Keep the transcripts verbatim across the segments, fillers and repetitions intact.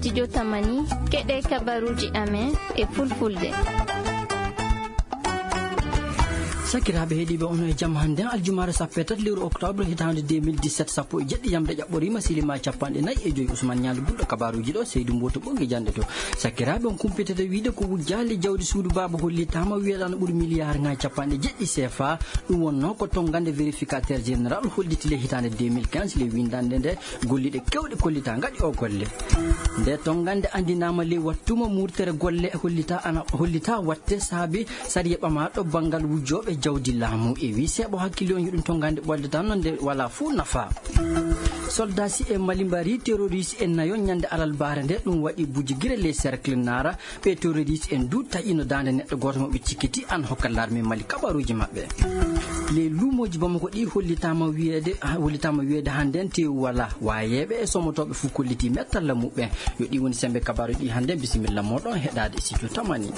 Studio Tamani, keɗe kabaruuji amen e fulfulde. Sakiraaɓe heɗiiɓe, ono e jam. Hannden aljumaare sappo e tati lewru octobre hitaande deux mille dix-sept, sappo e jeɗɗi yamde ƴaɓɓoriima, silima capanɗe nayi e joyi. Usman Ñaali Gulɗo kabaruuji ɗo, Seydu Mboto Ɓoŋnge jannde to. Sakiraaɓe, on kumpitata wiide ko wujjaali jawdi suudu baaba hollitaama wiyeede ana ɓuri miliyaar ŋaaji capanɗe jeɗɗi C F A. Ɗum wonnoo ko tonngande vérificateur général holliti le hitaande deux mille quinze, le winndannde nde golliɗe keewɗe kollitaa ngaɗi o golle. Nde tonngande anndinaama ley wattuma murtere golle hollita ana, hollita watte saabi sariya ɓamaaɗo banngal wujjooɓe jawdi laamu. E wii seeɓo hakkille on yo ɗum tonngande ɓolde tan no nde walaa fuu nafa. Soldaasi e Mali mbari terroriste en nayo ñande alarbaare nde, ɗum waɗi bujigire les cercle naara. Ɓe terroriste en du taƴino daande neɗɗo gooto mo ɓe cikkiti an hokka larme Mali kabaruuji maɓɓe. Les luumooji Bamako ɗi hollitaama wiyeede, hollitaama wiyeede hannden teewu walaa. Waayeeɓe e somotooɓe fuu kollitii mettalla muɓɓen. Yo ɗi woni semmbe kabaaruuji ɗi hannden. Bisimilla mooɗon heɗaade studio Tamani.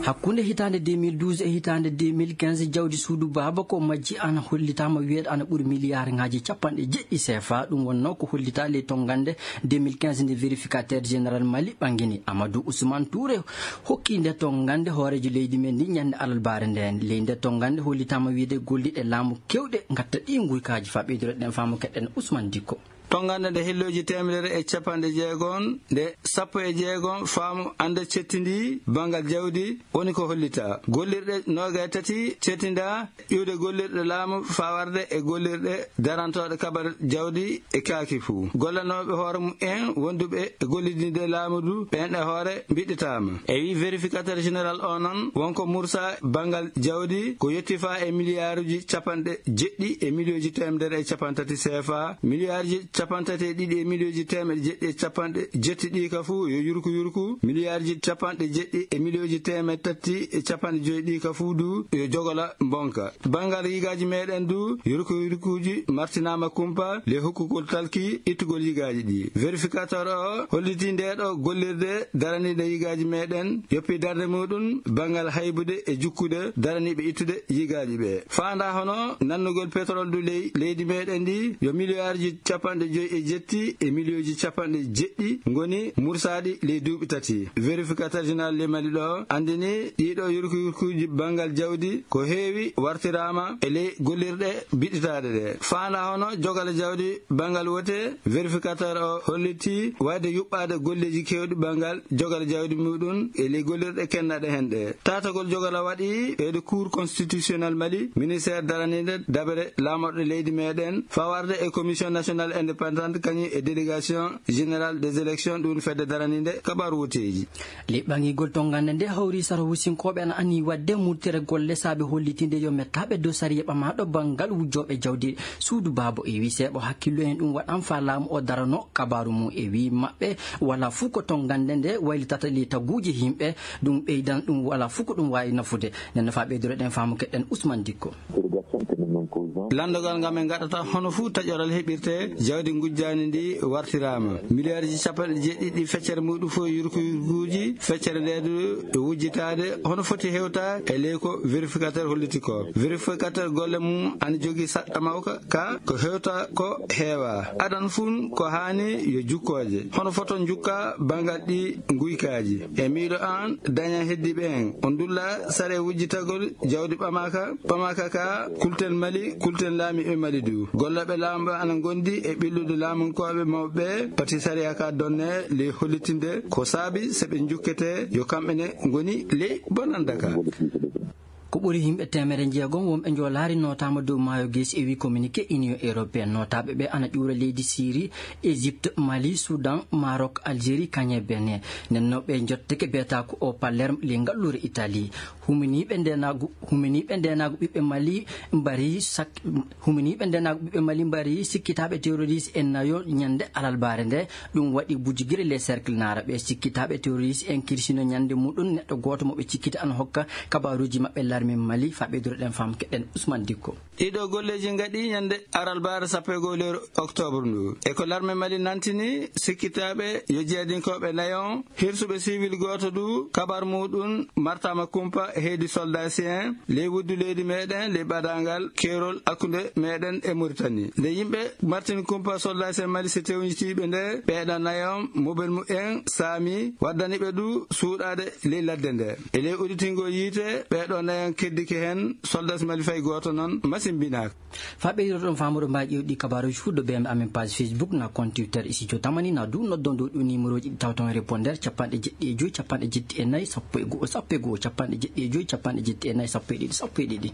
Hakkunde hitaande deux mille douze e hitaande deux mille quinze, jawdi suudu baaba ko majji ana hollitaama wiyeede ana ɓuri miliyaar ŋaaji capanɗe jeɗɗi C F A. Ɗum wonnoo ko hollitaa ley tonngande deux mille quinze nde vérificateur général Mali ɓangini. Amadou Ousmane Touré hokki nde tonngande hooreejo leydi men ndi ñande alarbaare nden. Ley nde tonngande hollitaama wiyeede golliɗe laamu keewɗe ngatta ɗi nguykaaji. Faa ɓeydureɗen faamu keɗen Ousmane Dikko. Tonngande nde hillooji teemedere e capanɗe jeegom, nde sappo e jeegom faamu annde cettindi banngal jawdi woni ko hollitaa. Gollirɗe noogay tati cettindaa iwde gollirɗe laamu faa warde e gollirɗe darantooɗe kabar jawdi e kaaki fuu. Gollanooɓe hoore mum en wonduɓe e gollidinde laamu du, ɓeen e hoore mbiɗɗitaama. E wii vérificateur général o noon, wonko mursa banngal jawdi ko yotti faa e miliyaaruuji capanɗe jeɗɗi e miliyooji teemedere e capanɗe tati C F A, miliyaaruuji capanɗe tati e ɗiɗi e miliyooji teemedde jeɗɗi e capanɗe jetti ɗi ka fuu yo yurku yurku, miliyaaruuji capanɗe jeɗɗi e miliyooji teemedde tati e capanɗe joyi ɗi ka fuu du yo jogola mbonka. Banngal yigaaji meɗen du, yurku yurkuuji martinaama kumpa le hokkugol talki ittugol yigaaji ɗi. Vérificateur o hollitii ndee ɗo gollirde daraniinde yigaaji meɗen, yoppi darnde muɗum banngal haybude e jukkude daraniiɓe ittude yigaaji ɓe. Faandaa hono nannugol pétrole du ley leydi meɗen ndi yo miliyaaruuji capanɗe joyi e jetti e miliyooji capanɗe jeɗɗi ngoni mursaaɗi ley duuɓi tati. Vérificateur général le Mali ɗo anndini ɗiɗo yurku yurkuuji banngal jawdi ko heewi wartiraama e ley gollirɗe biɗɗitaaɗe ɗe. Faandaa hono jogale jawdi banngal wote, vérificateur o hollitii wayde yuɓɓaade golleeji keewɗi banngal jogale jawdi muɗum e ley gollirɗe kennaɗe hen ɗe. Taatagol jogala waɗi e de Cour constitutionnelle Mali, ministère daraniinde dabere laamorɗe leydi meɗen, fawarde e Commission nationale indépendante kañum e délégation générale des élections, ɗum fedde daraniinde kabaru woteeji. Le ɓangigol tonngande nde hawri sara wusinkooɓe ana anniyii waɗde murtere golle saabe hollitinde yo mettaaɓe dow sariya ɓamaaɗo banngal wujjooɓe jawdi suudu baaba. E wii seeɓo hakkillo en ɗum waɗan faa laamu o darano kabaru mum. E wii maɓɓe walaa fuu ko tonngande nde waylitata le taguuji yimɓe, ɗum ɓeydan ɗum walaa fuu ko ɗum waawi nafude. Nden no faa ɓeydoro ɗen faamu keɗen Ousmane Dikko. Lanndogal ngal min ngaɗata hono fuu taƴoral heɓirte jawdi ngujjaani ndi wartiraama. Miliyaaruuji capanɗe jeɗɗi ɗi feccere muɗum fof yurku yurkuuji feccere nde du e wujjitaade hono foti hewta e ley ko vérificateur holliti ko. Vérificateur golle mum ana jogii saɗɗa mawka ka ko hewta ko heewa. Adan fun ko haani yo jukkooje. Hono foto njukka banngal ɗi nguykaaji. E miiɗo an daña heddiiɓe en. On ndulla sare wujjitagol jawdi ɓamaaka, ɓamaaka ka kulten Mali, kulten laamiiɓe Mali du. Gollooɓe laamu ɓe ana ngondi e ɓillude laamunkooɓe mawɓe ɓe, pati sariya ka donne ley hollitinde ko saabi so ɓe njukkete yo kamɓe ne ngoni ley bonanda ka. Ko ɓuri yimɓe teemere jeegom wonɓe njoolaari nootaama dow maayo Geesi, e wii communiqué Union européenne. Nootaaɓe ɓe ana ƴuura leydi Siri, Égypte, Mali, Soudan, Maroc, Algérie, kañe Benin. Nden no ɓe njottake beetaaku o Palerme, ley ngalluure Italie. Huminiiɓe ndeenaagu, huminiiɓe ndeenaagu ɓiɓɓe Mali mbari sak-, huminiiɓe ndeenaagu ɓiɓɓe Mali mbari sikkitaaɓe terroriste en nayo ñande alarbaare nde. Ɗum waɗi bujugire les cercles naara. Ɓe sikkitaaɓe terroriste en kirsino ñande muɗum neɗɗo gooto mo ɓe cikkiti ana hokka kabaaruuji maɓɓe larme Mali. Faa ɓeydoro ɗen faamu keɗen Ousmane Dikko. Ɗiɗo golleeji ngaɗi ñande alarbaare sappo e go'o lewru octobre ndu. E ko larme Mali nantini sikkitaaɓe yo jeyadinkooɓe nayo hirsuɓe civil gooto du kabar muɗum martaama kumpa Heedi soldasi en ley wuddu leydi meɗen ley ɓadaangal keerol hakkunde meɗen e Mauritanie. Nde yimɓe Martin Kumpa soldasi en Mali si tewnjitiiɓe nde, ɓeeɗo nayon mobel mumen saami, waddani ɓe du suuɗaade ley ladde nde. E ley udditingol yiite, ɓeeɗo nayon keddike heen, soldasi Mali fay gooto noon masimbinaaka. Fa ɓeydoɗon faamude mbaa ƴeewɗi kabaruuji fuu ɗo bee amen page Facebook, na compte Twitter, Studio Tamani, na du noddon dow ɗi numéroji ɗi tawton répondeur: capanɗe jeɗɗi e joy, capanɗe jeɗɗi e nayi, sappo e go'o, sappo e go'o, capanɗe jeɗɗi e joy, capanɗe jeɗɗi e nayi, sappo e ɗiɗi, sappo e ɗiɗi.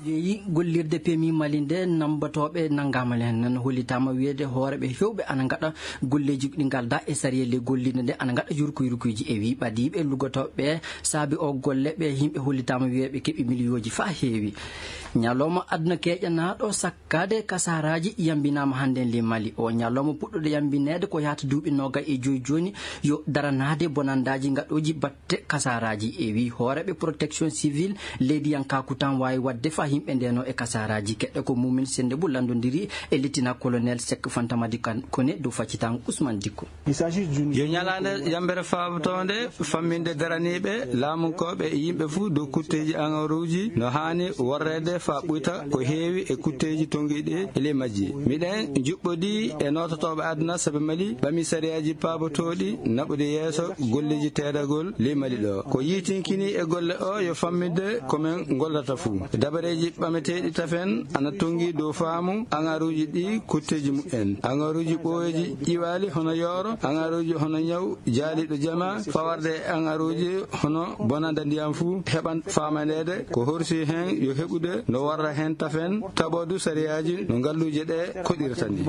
Yeeyi gollirde P M I Mali nde, nambatooɓe nanngaama heen. Nan hollitaama wiyeede hooreeɓe heewɓe ana ngaɗa golleeji ɗi ngaldaa e sariya ley gollirde nde, ana ngaɗa yurkuyurkuuji. E wii ɓadiiɓe luggotooɓe saabi o golle ɓe, yimɓe hollitaama wiyeede ɓe keɓi miliyooji faa heewi. Ñalawma aduna keeƴanaaɗo sakkaade kasaaraaji yambinaama hannden ley Mali. O ñalawma puɗɗuɗo yambineede ko yahata duuɓi noogay e joy jooni, yo daranaade bonandaaji ngaɗooji batte kasaaraaji. E wii hooreeɓe protection civile leydiyankaaku tan waawi waɗde faa yimɓe ndeenoo e kasaaraaji. Keɗɗe ko Mumin Sennde Bou lanndondiri e lieutenant colonel Seck Fantamadi Kan Kone dow faccitaango Ousmane Dikko. Yo ñalaande yambere faabotoonde famminde daraniiɓe, laamunkooɓe e yimɓe fuu dow kutteeji aŋaruuji no haani worreede faa ɓuyta ko heewi e kutteeji tonngiiɗi e ley majji. Miɗen njuɓɓodii e noototooɓe aduna sabi Mali ɓamii sariyaaji paabotooɗi naɓude yeeso golleeji teedagol ley Mali ɗo. Ko yiitinkini e golle o yo famminde ko men ngollata fuu. Dabareeji ɓameteeɗi tafen ana tonngi dow faamu aŋaruuji ɗi kutteeji mumen. Aŋaruuji ɓooyeeji ƴiwaali hono yooro, aŋaruuji hono ñaw jaaliiɗo jama, fawarde e aŋaruuji hono bonanda ndiyam fuu heɓan faamaneede ko horsi heen yo heɓude no warra heen tafen, taɓoo du sariyaaji no ngalluuje ɗe koɗirta ni.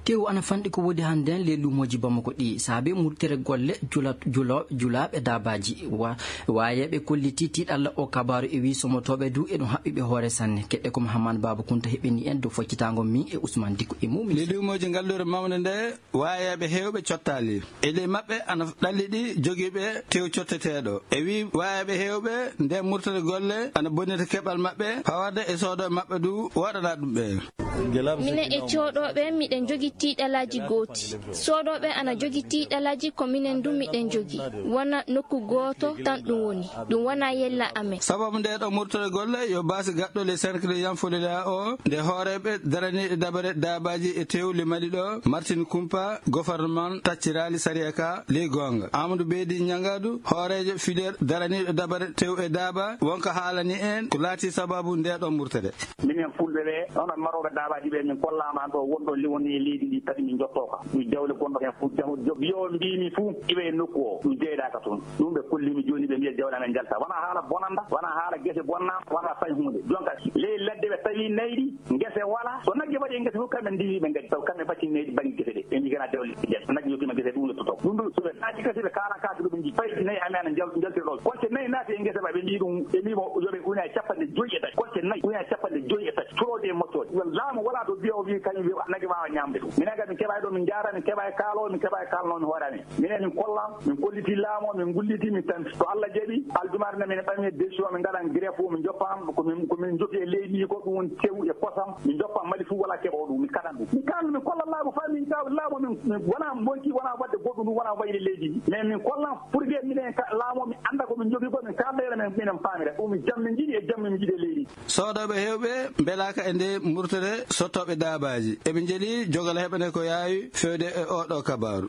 Teewu ana fanɗi ko woodi hannden ley luumooji Bamako ɗi saabi murtere golle jula-, julo-, julaaɓe daabaaji. Wa-, waayeeɓe kolliti tiiɗalla o kabaaru e wii somotooɓe du eɗum haɓɓi ɓe hoore sanne. Keɗɗe ko Mahamman Baaba Kunta heɓini en dow foccitaango min e Ousmane Dikko e Mumin. Ley luumooji ngalluure mawnde nde, waayeeɓe heewɓe cottaali. E ley maɓɓe ana ɗalliɗi jogiiɓe teew cotteteeɗo. E wii waayeeɓe heewɓe nde murtere golle ana bonnita keɓal maɓɓe, fawarde e soodooɓe maɓɓe du waɗana ɗum ɓe. Minen e cooɗooɓe, miɗen njogii tiiɗalaaji gooti. Soodooɓe ana njogii tiiɗalaaji, ko minen du miɗen njogii. Wona nokku gooto tan ɗum woni. Ɗum wonaa yella amen. Sababu ndee ɗoo murtere golle yo baasi gaɗɗo ley cercle Yanfolila o, nde hooreeɓe daraniiɓe dabare daabaaji e teew ley Mali ɗo, Martin Kumpa, gouvernement tacciraali sariya ka ley goonga. Amadou Beydi Ñangadu, hooreejo filière daraniiɗo dabare teew e daaba, wonko haalani en ko laatii sababu ndee ɗoo murtere. Minen fulɓe ɓe, onon marooɓe daabaaji ɓe, min kollaama ɗo wonɗo liwonde e leydi ndi, tati min njottoo ka. Ɗum jawle gonɗo heen fof, jam-, jo-, yo mbiimi fof, iwe e nokku o, ɗum jeyɗaaka toon. Ɗum ɓe kolliimi jooni, ɓe mbiya jawle amen njalta. Wonaa haala bonanda, wonaa haala gese bonna, wonaa fay huunde. Jonka, ley ladde ɓe tawi nayi ɗi, ngese wala. So nagge mbaɗi e ngese fof, kamɓe ndiwi ɓe ngadi. Taw kamɓe mbaɗti nayi ɗi bannge gese ɗe. Ɓe mbii kana jawle ɗi njalta. Nagge yottiima gese ɗum yottoto. Ɗum ɗo, so ɓe naati gese ɓe kaala kaake ɗo ɓe njii. Fay nayi amen ana njal-, njaltira ɗo. Kolte nayi naati e ngese ma, ɓe mbii ɗum, ɓe mbii mo, yo ɓe una e capanɗe joyi e tati. Kolte nayi una e capanɗe joyi e tati. Curoode e moccooɗe. Laamu wala to biya o wi kañum wi nagge waawa ñaamde ɗum. Minen kadi min keɓaani ɗo min njaara, min keɓaani kaalo, min keɓaani kaalnoo min hoore amen. Minen min kollan, min kolliti laamu, min ngulliti, min tan. To Allah jaɓi, aljumaare nde min ɓami décision, min ngaɗan greffe o, min joppan, ko min, ko min joppi e leydi ndi ko ɗum woni tew e kosam, min joppan Mali fof wala keɓo ɗum, min kaɗan ɗum. Min kaɗan, min kollan laamu faa min kaw laamu, min, min wona monki, wona waɗde goɗɗum ɗum, wona wayde leydi ndi. Mais min kollan pour que minen ka-, laamu o, min annda ko min jogii ko, min kaalda heen, min, minen paamira. Ɗum jam min njiɗi e jam min njiɗi e leydi. Soodooɓe heewɓe mbelaaka e nde murtere sottooɓe daabaaji. Eɓe njeli jogal heɓande ko yaawi feewde e oo ɗoo kabaaru.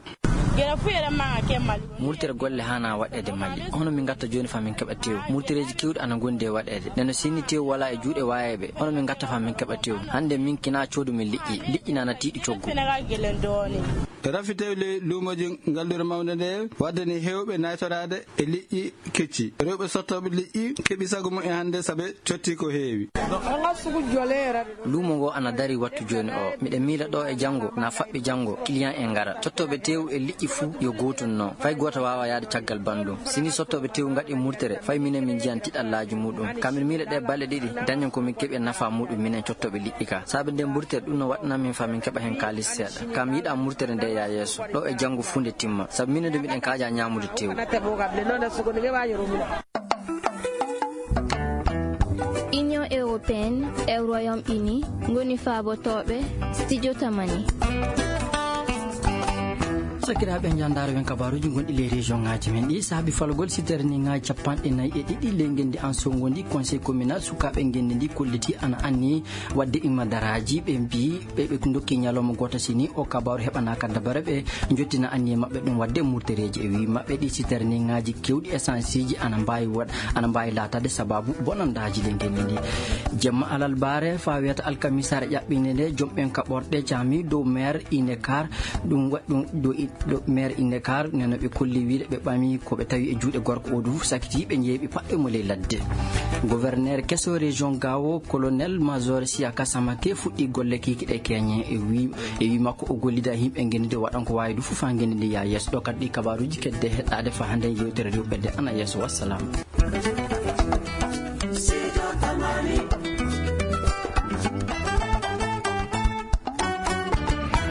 Murtere golle haanaa waɗeede Mali. Hono min ngatta jooni faa min keɓa teew? Murtereeji keewɗi ana ngondi e waɗeede. Nde no sinni teew walaa e juuɗe waayeeɓe, hono min ngatta faa min keɓa teew? Hannde min kinaa coodu min liƴƴi. Liƴƴi nana tiiɗi coggu. Rafi teew ley luumooji ngalluure mawnde nde waddani heewɓe naytoraade e liƴƴi kecci. Rewɓe sottooɓe liƴƴi keɓi sago mum e hannde sabe cotti ko heewi. Luumo ngo ana darii wattu jooni o. Miɗen miila ɗo e janngo, na faɓɓi janngo, client en ngara. Cottooɓe teewu e liƴƴi fuu yo gootun non. Fay gooto waawaa yahde caggal banndum. Si ni sottooɓe teewu ngaɗi murtere, fay minen min njiyan tiɗallaaji muɗum. Ka min miila ɗe balɗe ɗiɗi, dañen ko min keɓi e nafaa muɗum minen cottooɓe liƴƴi ka. Saabe nden murtere ɗum no waɗana min faa min keɓa heen kaalis seeɗa. Ka mi yiɗaa murtere nde yaa yeeso. Ɗo e janngo fuu nde timma. Sabu minen du miɗen kaaja ñaamude teewu. Union européenne e Royaume-Uni ngoni faabotooɓe Studio Tamani. Sakiraaɓe, njandaaro wen kabaaruuji gonɗi ley région ŋaaji men ɗi. Saabi falgol siterni ŋaaji capanɗe nayi e ɗiɗi ley ngenndi an songondi, conseil communal sukaaɓe ngenndi ndi kolliti ana anni waɗde imma daraaji. Ɓe mbi ɓe ɓe ndokki ñalawma gooto sini o kabaaru heɓanaaka dabare, ɓe njottina anniye maɓɓe ɗum waɗde murtereeji. E wii maɓɓe ɗi siterni ŋaaji kewɗi essence ji ana mbaawi waɗ ana mbaawi laataade sababu bonandaaji ley ngenndi ndi. Jemma alalbaare faa wiyata alkamisaare ƴaɓɓinde nde, jom ɓen kaɓorɗe caami dow maire Inekar. Ɗum wa- ɗum ɗo i- ɗo maire Inekar neno ɓe kolli wiide ɓe ɓami ko ɓe tawi e juuɗe gorko o du sakiti ɓe njeeɓi paɗɗe mo ley ladde. Gouverneur keso région Gao, colonel major Siaka Samake fuɗɗi golle kikiɗe keñe. E wi e wi makko o gollida yimɓe ngenndi waɗan ko waawi du fof haa ngenndi ndi yaa yeeso. Ɗo kadi ɗi kabaaruuji kedde heɗɗaade faa hannde yewtere rewɓe de ana yeeso. Wassalam.